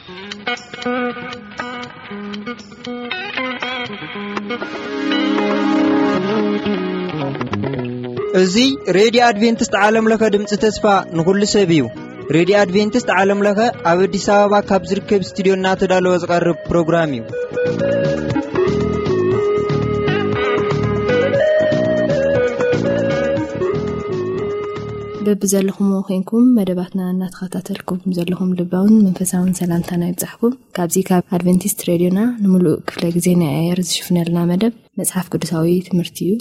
እዚ ሬድዮ ኣድቬንቲስት ዓለም ለኸ ድምፂ ተስፋ ንኹሉ ሰብ እዩ። ሬድዮ ኣድቬንቲስት ዓለም ለኸ ኣብ ኣዲስ ኣበባ ካብ ዝርከብ ስቱዲዮ እናተዳለወ ዝቐርብ ፕሮግራም እዩ። በብዘለኹምዎ ኮይንኩም መደባትና እናተኸታተልኩም ዘለኹም ልባውን መንፈሳውን ሰላምታና ይብጻሕኩም። ካብዚ ካብ ኣድቨንቲስት ሬድዮና ንምሉእ ክፍለ ግዜ ናይ ኣየር ዝሽፍነልና መደብ መጽሓፍ ቅዱሳዊ ትምህርቲ እዩ።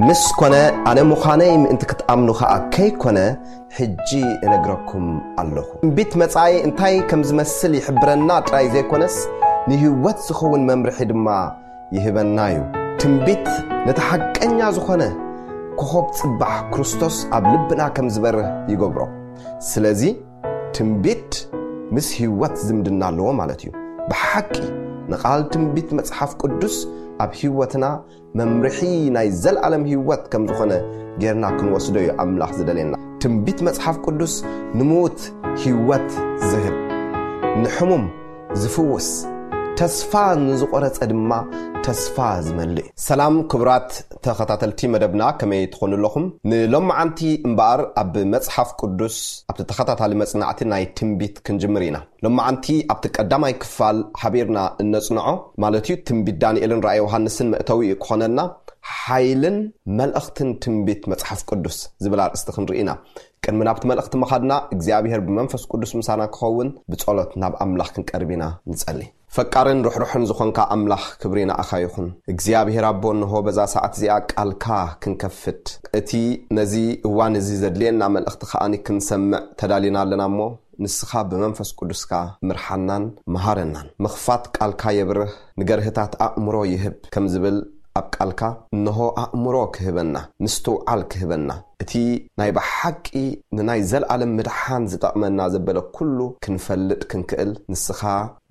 ምስ ኮነ፣ ኣነ ምዃነይ ምእንቲ ክትኣምኑ ኸኣ ከይኮነ፣ ሕጂ እነግረኩም ኣለኹ። ትንቢት መጻኢ እንታይ ከም ዝመስል ይሕብረና ጥራይ ዘይኮነስ፣ ንህይወት ዝኸውን መምርሒ ድማ ይህበና እዩ። ትንቢት ነቲ ሓቀኛ ዝኾነ ኮኾብ ጽባሕ ክርስቶስ ኣብ ልብና ከም ዝበርህ ይገብሮ። ስለዚ ትንቢት ምስ ህይወት ዝምድና ኣለዎ ማለት እዩ። ብሓቂ ንቓል ትንቢት መጽሓፍ ቅዱስ ኣብ ህይወትና መምርሒ ናይ ዘልኣለም ህይወት ከም ዝኾነ ጌርና ክንወስዶ እዩ ኣምላኽ ዝደልየና። ትንቢት መጽሓፍ ቅዱስ ንምዉት ህይወት ዝህብ፣ ንሕሙም ዝፍውስ፣ ተስፋ ንዝቖረጸ ድማ ተስፋ ዝመልእ እዩ። ሰላም ክቡራት ተኸታተልቲ መደብና፣ ከመይ ትኾኑ ኣለኹም? ንሎማዓንቲ እምበኣር ኣብ መጽሓፍ ቅዱስ ኣብቲ ተኸታታሊ መጽናዕቲ ናይ ትንቢት ክንጅምር ኢና። ሎማዓንቲ ኣብቲ ቀዳማይ ክፋል ሓቢርና እነጽንዖ፣ ማለት እዩ ትንቢት ዳንኤልን ራእይ ዮሃንስን መእተዊ እዩ ክኾነና፣ ሓይልን መልእኽትን ትንቢት መጽሓፍ ቅዱስ ዝብል ኣርእስቲ ክንርኢ ኢና። ቅድሚ ናብቲ መልእኽቲ ምኻድና እግዚኣብሔር ብመንፈስ ቅዱስ ምሳና ክኸውን ብጸሎት ናብ ኣምላኽ ክንቀርብ ኢና። ንጸሊ። ፈቃርን ርሕሩሕን ዝኾንካ ኣምላኽ ክብሪ ንኣኻ ይኹን። እግዚኣብሔር ኣቦ፣ እንሆ በዛ ሰዓት እዚኣ ቃልካ ክንከፍት፣ እቲ ነዚ እዋን እዚ ዘድልየና መልእኽቲ ከኣኒ ክንሰምዕ ተዳሊና ኣለና እሞ፣ ንስኻ ብመንፈስ ቅዱስካ ምርሓናን መሃረናን። ምኽፋት ቃልካ የብርህ፣ ንገርህታት ኣእምሮ ይህብ ከም ዝብል ኣብ ቃልካ፣ እንሆ ኣእምሮ ክህበና፣ ምስትውዓል ክህበና፣ እቲ ናይ ብሓቂ ንናይ ዘልኣለም ምድሓን ዝጠቕመና ዘበለ ኩሉ ክንፈልጥ ክንክእል ንስኻ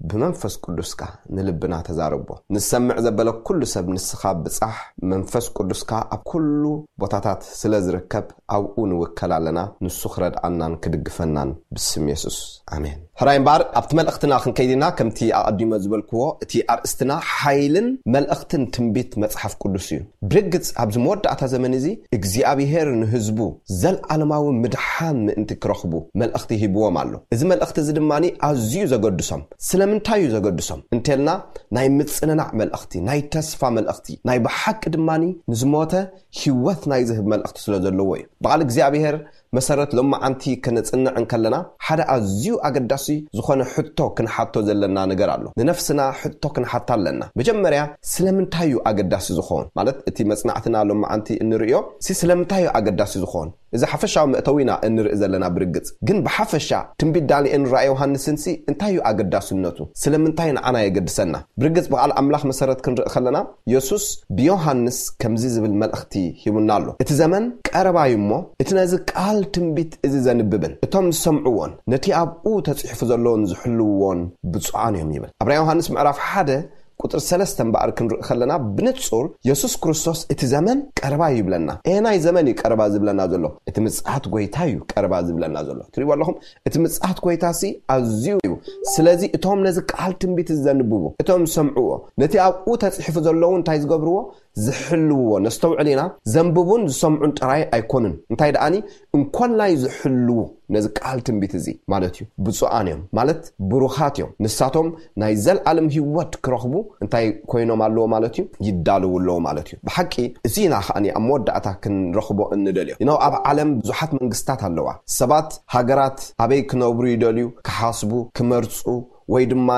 ብመንፈስ ቅዱስካ ንልብና ተዛረቦ። ንሰምዕ ዘበለ ኩሉ ሰብ ንስኻ ብጻሕ፣ መንፈስ ቅዱስካ ኣብ ኩሉ ቦታታት ስለ ዝርከብ ኣብኡ ንውከል ኣለና። ንሱ ክረድኣናን ክድግፈናን ብስም የሱስ። ኣሜን። ሕራይ እምበኣር ኣብቲ መልእኽትና ክንከይድ ኢና። ከምቲ ኣቐዲመ ዝበልክዎ እቲ ኣርእስትና ሓይልን መልእኽትን ትንቢት መጽሓፍ ቅዱስ እዩ። ብርግጽ ኣብዚ መወዳእታ ዘመን እዚ እግዚኣብሄር ንህዝቡ ዘልኣለማዊ ምድሓን ምእንቲ ክረኽቡ መልእኽቲ ሂብዎም ኣሎ። እዚ መልእኽቲ እዚ ድማ ኣዝዩ ዘገድሶም። ስለምንታይ እዩ ዘገድሶም እንተልና፣ ናይ ምጽንናዕ መልእኽቲ፣ ናይ ተስፋ መልእኽቲ፣ ናይ ብሓቂ ድማ ንዝሞተ ህይወት ናይ ዝህብ መልእኽቲ ስለ ዘለዎ እዩ። ብቓል እግዚኣብሄር መሰረት ሎማዓንቲ ከነጽንዕ እንከለና ሓደ ኣዝዩ ኣገዳሲ ዝኾነ ሕቶ ክንሓቶ ዘለና ነገር ኣሎ። ንነፍስና ሕቶ ክንሓታ ኣለና። መጀመርያ ስለምንታይ እዩ ኣገዳሲ ዝኾን? ማለት እቲ መጽናዕትና ሎማዓንቲ እንርእዮ ሲ ስለምንታይ እዩ ኣገዳሲ ዝኾን? እዚ ሓፈሻዊ መእተዊና እንርኢ ዘለና ብርግጽ። ግን ብሓፈሻ ትንቢት ዳንኤልን ራእይ ዮሃንስን ሲ እንታይ እዩ ኣገዳስነቱ? ስለምንታይ ንዓና የገድሰና? ብርግጽ ብቓል ኣምላኽ መሰረት ክንርኢ ከለና የሱስ ብዮሃንስ ከምዚ ዝብል መልእኽቲ ሂቡና ኣሎ። እቲ ዘመን ቀረባ እዩ እሞ፣ እቲ ነዚ ቃል ትንቢት እዚ ዘንብብን እቶም ዝሰምዕዎን ነቲ ኣብኡ ተጽሒፉ ዘለውን ዝሕልውዎን ብፁዓን እዮም ይብል። ኣብ ራእይ ዮሃንስ ምዕራፍ ሓደ ቁፅሪ ሰለስተ እምበኣር ክንርኢ ከለና ብንፁር የሱስ ክርስቶስ እቲ ዘመን ቀረባ እዩ ይብለና። ኤናይ ዘመን እዩ ቀረባ ዝብለና ዘሎ? እቲ ምጽኣት ጎይታ እዩ ቀረባ ዝብለና ዘሎ። ትሪእዎ ኣለኹም? እቲ ምጽኣት ጎይታ ሲ ኣዝዩ እዩ። ስለዚ እቶም ነዚ ቃል ትንቢት ዘንብቡ፣ እቶም ዝሰምዕዎ፣ ነቲ ኣብኡ ተጽሒፉ ዘለዉ እንታይ ዝገብርዎ? ዝሕልውዎ። ነስተውዕል ኢና። ዘንብቡን ዝሰምዑን ጥራይ ኣይኮኑን፣ እንታይ ደኣኒ፣ እንኮላይ ዝሕልዉ ነዚ ቃል ትንቢት እዚ ማለት እዩ። ብፁዓን እዮም ማለት ብሩኻት እዮም። ንሳቶም ናይ ዘልኣለም ህይወት ክረኽቡ እንታይ ኮይኖም ኣለዎ ማለት እዩ? ይዳለዉ ኣለዎ ማለት እዩ። ብሓቂ እዚ ኢና ከኣኒ ኣብ መወዳእታ ክንረኽቦ እንደልዮ። ይነው ኣብ ዓለም ብዙሓት መንግስታት ኣለዋ። ሰባት፣ ሃገራት ኣበይ ክነብሩ ይደልዩ፣ ክሓስቡ፣ ክመርጹ፣ ወይ ድማ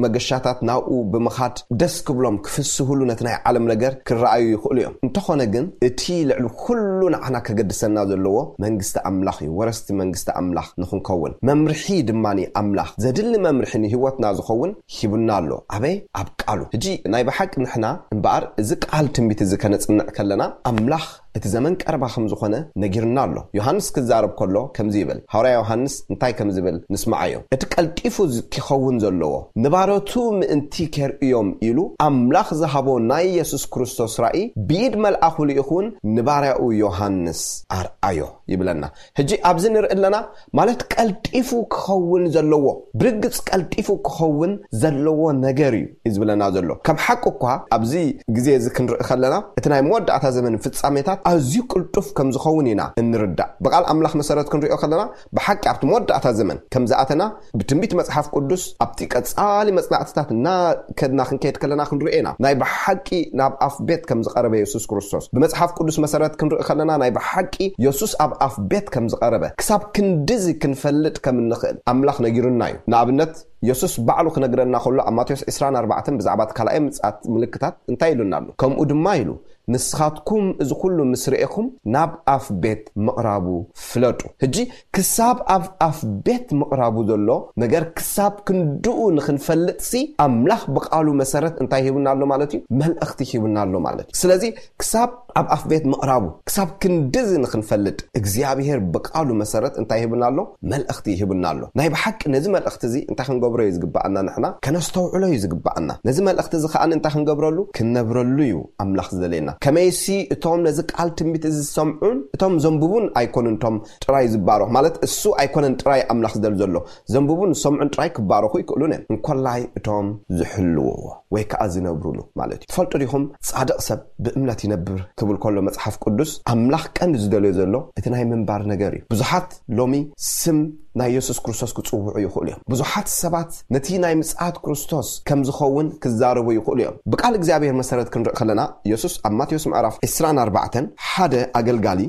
መገሻታት ናብኡ ብምኻድ ደስ ክብሎም ክፍስህሉ ነቲ ናይ ዓለም ነገር ክረኣዩ ይኽእሉ እዮም። እንተኾነ ግን እቲ ልዕሊ ኩሉ ንዓና ከገድሰና ዘለዎ መንግስቲ ኣምላኽ እዩ። ወረስቲ መንግስቲ ኣምላኽ ንኽንከውን መምርሒ ድማ ኣምላኽ፣ ዘድሊ መምርሒ ንህይወትና ዝኸውን ሂቡና ኣሎ። ኣበይ? ኣብ ቃሉ። ሕጂ ናይ ብሓቂ ንሕና እምበኣር እዚ ቃል ትንቢት እዚ ከነጽንዕ ከለና ኣምላኽ እቲ ዘመን ቀረባ ከም ዝኾነ ነጊርና ኣሎ። ዮሃንስ ክዛረብ ከሎ ከምዚ ይብል። ሃዋርያ ዮሃንስ እንታይ ከም ዝብል ንስማዓዮ። እቲ ቀልጢፉ ዝ-፣ ክኸውን ዘለዎ ንባሮቱ ምእንቲ ከርእዮም ኢሉ ኣምላኽ ዝሃቦ ናይ የሱስ ክርስቶስ ራእይ ብኢድ መልኣኹ ልኢኹን ንባርያኡ ዮሃንስ ኣርኣዮ ይብለና። ሕጂ ኣብዚ ንርኢ ኣለና ማለት ቀልጢፉ ክኸውን ዘለዎ፣ ብርግጽ ቀልጢፉ ክኸውን ዘለዎ ነገር እዩ እዩ ዝብለና ዘሎ። ከም ሓቂ እኳ ኣብዚ ግዜ እዚ ክንርኢ ከለና እቲ ናይ መወዳእታ ዘመን ፍጻሜታት ኣዝዩ ቅልጡፍ ከም ዝኸውን ኢና እንርዳእ። ብቃል ኣምላኽ መሰረት ክንሪኦ ከለና ብሓቂ ኣብቲ መወዳእታ ዘመን ከም ዝኣተና ብትንቢት መጽሓፍ ቅዱስ ኣብቲ ቀጻሊ መጽናዕትታት እናከድና ክንከይድ ከለና ክንሪኦ ኢና። ናይ ብሓቂ ናብ ኣፍ ቤት ከም ዝቐረበ የሱስ ክርስቶስ ብመጽሓፍ ቅዱስ መሰረት ክንርኢ ከለና ናይ ብሓቂ የሱስ ኣብ ኣፍ ቤት ከም ዝቐረበ ክሳብ ክንድዚ ክንፈልጥ ከም እንኽእል ኣምላኽ ነጊሩና እዩ። ንኣብነት የሱስ ባዕሉ ክነግረና ከሎ ኣብ ማቴዎስ ዕስራን ኣርባዕተን ብዛዕባ እቲ ካልኣይ ምጽኣት ምልክታት እንታይ ኢሉና ኣሎ? ከምኡ ድማ ኢሉ፣ "ንስኻትኩም እዚ ኩሉ ምስ ረኤኹም ናብ ኣፍ ቤት ምቕራቡ ፍለጡ።" ሕጂ ክሳብ ኣብ ኣፍ ቤት ምቕራቡ ዘሎ ነገር ክሳብ ክንድኡ ንኽንፈልጥሲ ኣምላኽ ብቃሉ መሰረት እንታይ ሂቡና ኣሎ ማለት እዩ? መልእኽቲ ሂቡና ኣሎ ማለት እዩ። ስለዚ ክሳብ ኣብ ኣፍ ቤት ምቕራቡ ክሳብ ክንድዚ ንኽንፈልጥ እግዚኣብሔር ብቃሉ መሰረት እንታይ ሂቡና ኣሎ? መልእኽቲ ሂቡና ኣሎ። ናይ ብሓቂ ነዚ መልእኽቲ እዚ እንታይ ክንገብሮ እዩ ዝግባኣና? ንሕና ከነስተውዕሎ እዩ ዝግባኣና። ነዚ መልእኽቲ እዚ ከኣ እንታይ ክንገብረሉ? ክንነብረሉ እዩ ኣምላኽ ዝደልየና። ከመይሲ እቶም ነዚ ቃል ትንቢት እዚ ዝሰምዑን እቶም ዘንብቡን ኣይኮኑን እቶም ጥራይ ዝባረኹ፣ ማለት እሱ ኣይኮነን ጥራይ ኣምላኽ ዝደል ዘሎ። ዘንብቡን ዝሰምዑን ጥራይ ክባረኹ ይክእሉን እዮም። እንኮላይ እቶም ዝሕልውዎ ወይ ከኣ ዝነብሩሉ ማለት እዩ። ትፈልጡ ዲኹም? ጻድቕ ሰብ ብእምነት ይነብር ክብል ከሎ መጽሓፍ ቅዱስ ኣምላኽ ቀንዲ ዝደልዮ ዘሎ እቲ ናይ ምንባር ነገር እዩ። ብዙሓት ሎሚ ስም ናይ የሱስ ክርስቶስ ክጽውዑ ይኽእሉ እዮም። ብዙሓት ሰባት ነቲ ናይ ምጽኣት ክርስቶስ ከም ዝኸውን ክዛረቡ ይኽእሉ እዮም። ብቃል እግዚኣብሔር መሰረት ክንርኢ ከለና የሱስ ኣብ ማቴዎስ ምዕራፍ ዕስራን ኣርባዕተን ሓደ ኣገልጋሊ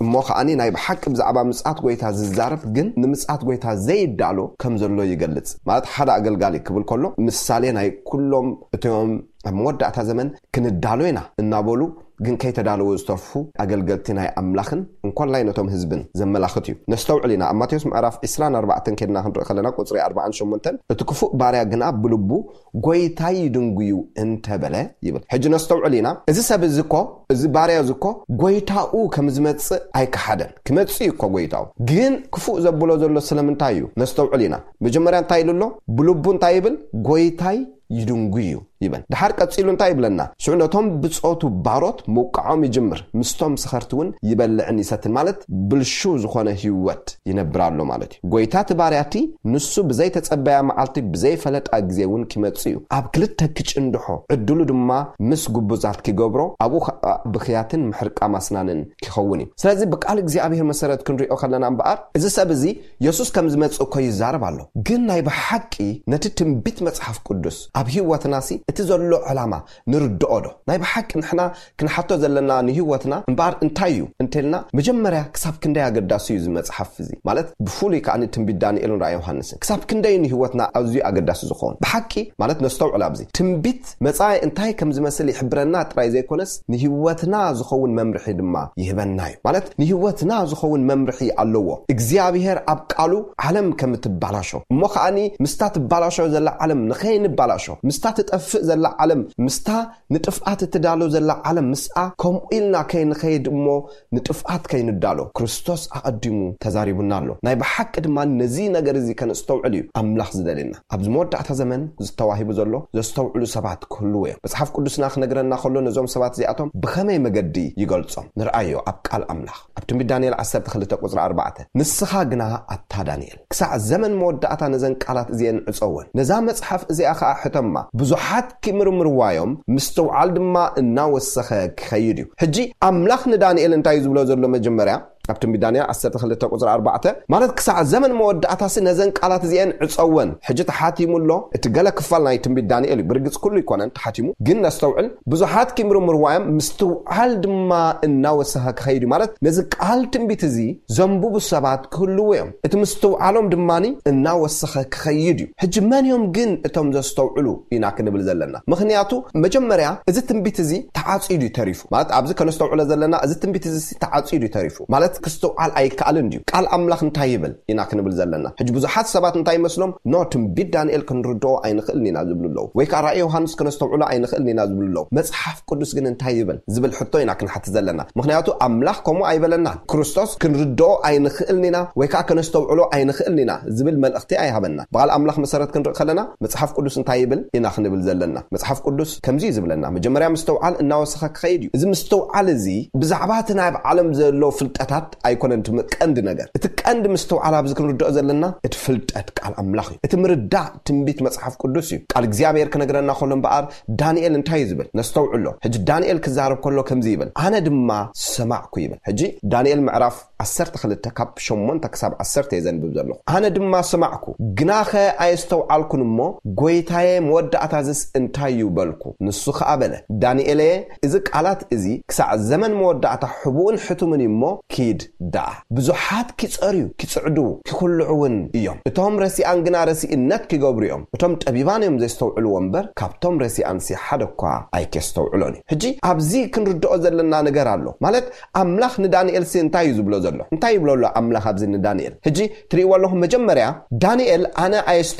እሞ ከኣኒ ናይ ብሓቂ ብዛዕባ ምጽኣት ጎይታ ዝዛረብ ግን ንምጽኣት ጎይታ ዘይዳሎ ከም ዘሎ ይገልጽ። ማለት ሓደ ኣገልጋሊ ክብል ከሎ ምሳሌ ናይ ኩሎም እቶም ኣብ መወዳእታ ዘመን ክንዳሎ ኢና እናበሉ ግን ከይተዳለዉ ዝተርፉ ኣገልገልቲ ናይ ኣምላኽን እንኮላይ ነቶም ህዝብን ዘመላኽት እዩ። ነስተውዕል ኢና። ኣብ ማቴዎስ ምዕራፍ ዕስራን ኣርባዕተን ከድና ክንርኢ ከለና ቁጽሪ ኣርባዓን ሸሞንተን፣ "እቲ ክፉእ ባርያ ግና ብልቡ ጎይታይ ይድንጉዩ እንተበለ" ይብል። ሕጂ ነስተውዕል ኢና። እዚ ሰብ እዚ እኮ፣ እዚ ባርያ እዚ እኮ ጎይታኡ ከም ዝመጽእ ኣይከሓደን። ክመጽእ እዩ እኮ ጎይታኡ። ግን ክፉእ ዘብሎ ዘሎ ስለምንታይ እዩ? ነስተውዕል ኢና። መጀመርያ እንታይ ኢሉ ኣሎ? ብልቡ እንታይ ይብል? ጎይታይ ይድንጉ እዩ ይበል። ድሓር ቀጺሉ እንታይ ይብለና? ሽዑ ነቶም ብጾቱ ባሮት ምውቃዖም ይጅምር፣ ምስቶም ሰኸርቲ እውን ይበልዕን ይሰትን፣ ማለት ብልሹ ዝኾነ ህይወት ይነብር ኣሎ ማለት እዩ። ጎይታ እቲ ባርያ እቲ ንሱ ብዘይተጸበያ መዓልቲ ብዘይፈለጣ ግዜ እውን ክመጽእ እዩ። ኣብ ክልተ ክጭንድሖ፣ ዕድሉ ድማ ምስ ግቡዛት ክገብሮ፣ ኣብኡ ኸኣ ብኽያትን ምሕርቃም ኣስናንን ክኸውን እዩ። ስለዚ ብቃል እግዚኣብሔር መሰረት ክንሪኦ ከለና እምበኣር፣ እዚ ሰብ እዚ የሱስ ከም ዝመጽእ እኮ ይዛረብ ኣሎ። ግን ናይ ብሓቂ ነቲ ትንቢት መጽሓፍ ቅዱስ ኣብ ህይወትናሲ እቲ ዘሎ ዕላማ ንርድኦ ዶ? ናይ ብሓቂ ንሕና ክንሓቶ ዘለና ንህይወትና እምበኣር እንታይ እዩ እንተልና፣ መጀመርያ ክሳብ ክንደይ ኣገዳሲ እዩ እዚ መጽሓፍ እዚ? ማለት ብፍሉይ ከኣ ትንቢት ዳንኤልን ራእይ ዮሃንስን ክሳብ ክንደይ ንህይወትና ኣዝዩ ኣገዳሲ ዝኸውን? ብሓቂ ማለት ነስተውዕል ኣብዚ። ትንቢት መጻኢ እንታይ ከም ዝመስል ይሕብረና ጥራይ ዘይኮነስ ንህይወትና ዝኸውን መምርሒ ድማ ይህበና እዩ። ማለት ንህይወትና ዝኸውን መምርሒ ኣለዎ። እግዚኣብሔር ኣብ ቃሉ ዓለም ከም እትባላሾ እሞ ከኣኒ ምስታ ትባላሾ ዘላ ዓለም ንኸይንባላሾ፣ ምስታ ትጠፍእ ዘላ ዓለም ምስታ ንጥፍኣት እትዳሎ ዘላ ዓለም ምስኣ ከምኡ ኢልና ከይንኸይድ እሞ ንጥፍኣት ከይንዳሎ ክርስቶስ ኣቐዲሙ ተዛሪቡና ኣሎ። ናይ ብሓቂ ድማ ነዚ ነገር እዚ ከነስተውዕል እዩ ኣምላኽ ዝደልየና። ኣብዚ መወዳእታ ዘመን ዝተዋሂቡ ዘሎ ዘስተውዕሉ ሰባት ክህልዉ እዮም። መጽሓፍ ቅዱስና ክነግረና ከሎ ነዞም ሰባት እዚኣቶም ብኸመይ መገዲ ይገልጾም? ንርኣዮ ኣብ ቃል ኣምላኽ ኣብ ትንቢት ዳንኤል ዓሰርተ ክልተ ቁጽሪ ኣርባዕተ፣ "ንስኻ ግና ኣታ ዳንኤል ክሳዕ ዘመን መወዳእታ ነዘን ቃላት እዚአን ዕጸወን፣ ነዛ መጽሓፍ እዚኣ ኸኣ ሕተማ፣ ብዙሓት ክምርምርዋ እዮም፣ ምስትውዓል ድማ እናወሰኸ ክኸይድ እዩ።" ሕጂ ኣምላኽ ንዳንኤል እንታይ እዩ ዝብሎ ዘሎ? መጀመርያ ኣብ ትንቢት ዳንኤል ዓሰርተ ክልተ ቁጽሪ ኣርባዕተ፣ ማለት ክሳዕ ዘመን መወዳእታሲ ነዘን ቃላት እዚአን ዕጸወን። ሕጂ ተሓቲሙ ኣሎ። እቲ ገለ ክፋል ናይ ትንቢት ዳንኤል እዩ። ብርግጽ ኩሉ ኣይኮነን ተሓቲሙ፣ ግን ነስተውዕል። "ብዙሓት ክምርምርዋ እዮም፣ ምስትውዓል ድማ እናወሰኸ ክኸይድ እዩ።" ማለት ነዚ ቃል ትንቢት እዚ ዘንብቡ ሰባት ክህልዉ እዮም። እቲ ምስትውዓሎም ድማ እናወሰኸ ክኸይድ እዩ። ሕጂ መን እዮም ግን እቶም ዘስተውዕሉ ኢና ክንብል ዘለና? ምኽንያቱ መጀመርያ እዚ ትንቢት እዚ ተዓጽዩ እዩ ተሪፉ። ማለት ኣብዚ ከነስተውዕሎ ዘለና እዚ ትንቢት እዚ ተዓጽዩ እዩ ተሪፉ። ማለት ክስትውዓል ኣይከኣልን ድዩ? ቃል ኣምላኽ እንታይ ይብል ኢና ክንብል ዘለና? ሕጂ ብዙሓት ሰባት እንታይ ይመስሎም? "ኖ፣ ትንቢት ዳንኤል ክንርድኦ ኣይንኽእልን ኢና" ዝብሉ ኣለዉ። ወይ ከዓ ራእይ ዮሃንስ ከነስተውዕሎ ኣይንኽእልን ኢና ዝብሉ ኣለዉ። "መጽሓፍ ቅዱስ ግን እንታይ ይብል?" ዝብል ሕቶ ኢና ክንሓትት ዘለና። ምኽንያቱ ኣምላኽ ከምኡ ኣይበለናን። ክርስቶስ "ክንርድኦ ኣይንኽእልን ኢና" ወይ ከዓ "ከነስተውዕሎ ኣይንኽእልን ኢና" ዝብል መልእኽቲ ኣይሃበና። ብቓል ኣምላኽ መሰረት ክንርኢ ከለና መጽሓፍ ቅዱስ እንታይ ይብል ኢና ክንብል ዘለና። መጽሓፍ ቅዱስ ከምዚ እዩ ዝብለና፣ መጀመርያ ምስትውዓል እናወሰኸ ክኸይድ እዩ። እዚ ምስትውዓል እዚ ብዛዕባ እቲ ናይ ዓለም ዘሎ ፍልጠታት ኣይኮነን እቲ ቀንዲ ነገር። እቲ ቀንዲ ምስትውዓል ኣብዚ ክንርድኦ ዘለና እቲ ፍልጠት ቃል ኣምላኽ እዩ። እቲ ምርዳእ ትንቢት መጽሓፍ ቅዱስ እዩ። ቃል እግዚኣብሔር ክነግረና ከሎ እምበኣር ዳንኤል እንታይ እዩ ዝብል? ነስተውዕሎ። ሕጂ ዳንኤል ክዛረብ ከሎ ከምዚ ይብል፣ "ኣነ ድማ ሰማዕኩ" ይብል። ሕጂ ዳንኤል ምዕራፍ ዓሰርተ ክልተ ካብ ሸሞንተ ክሳብ ዓሰርተ እየ ዘንብብ ዘለኹ። "ኣነ ድማ ሰማዕኩ፣ ግናኸ ኣየስተውዓልኩን እሞ፣ ጎይታየ፣ መወዳእታዝስ እንታይ እዩ በልኩ?" ንሱ ኸኣ በለ፣ "ዳንኤለየ፣ እዚ ቃላት እዚ ክሳዕ ዘመን መወዳእታ ሕቡእን ሕቱምን እዩ እሞ፣ ኪድ ደኣ። ብዙሓት ኪጸርዩ፣ ኪጽዕዱ፣ ኪኹልዑ እውን እዮም። እቶም ረሲኣን ግና ረሲእነት ኪገብሩ እዮም። እቶም ጠቢባን እዮም ዘስተውዕልዎ እምበር፣ ካብቶም ረሲኣንሲ ሓደ እኳ ኣይኬስተውዕሎን እዩ።" ሕጂ ኣብዚ ክንርድኦ ዘለና ነገር ኣሎ። ማለት ኣምላኽ ንዳንኤል ሲ እንታይ እዩ ዝብሎ ዘሎ? እንታይ ይብሎ ኣሎ ኣምላኽ ኣብዚ ንዳንኤል? ሕጂ ትርእይዎ ኣለኹም፣ መጀመርያ ዳንኤል "ኣነ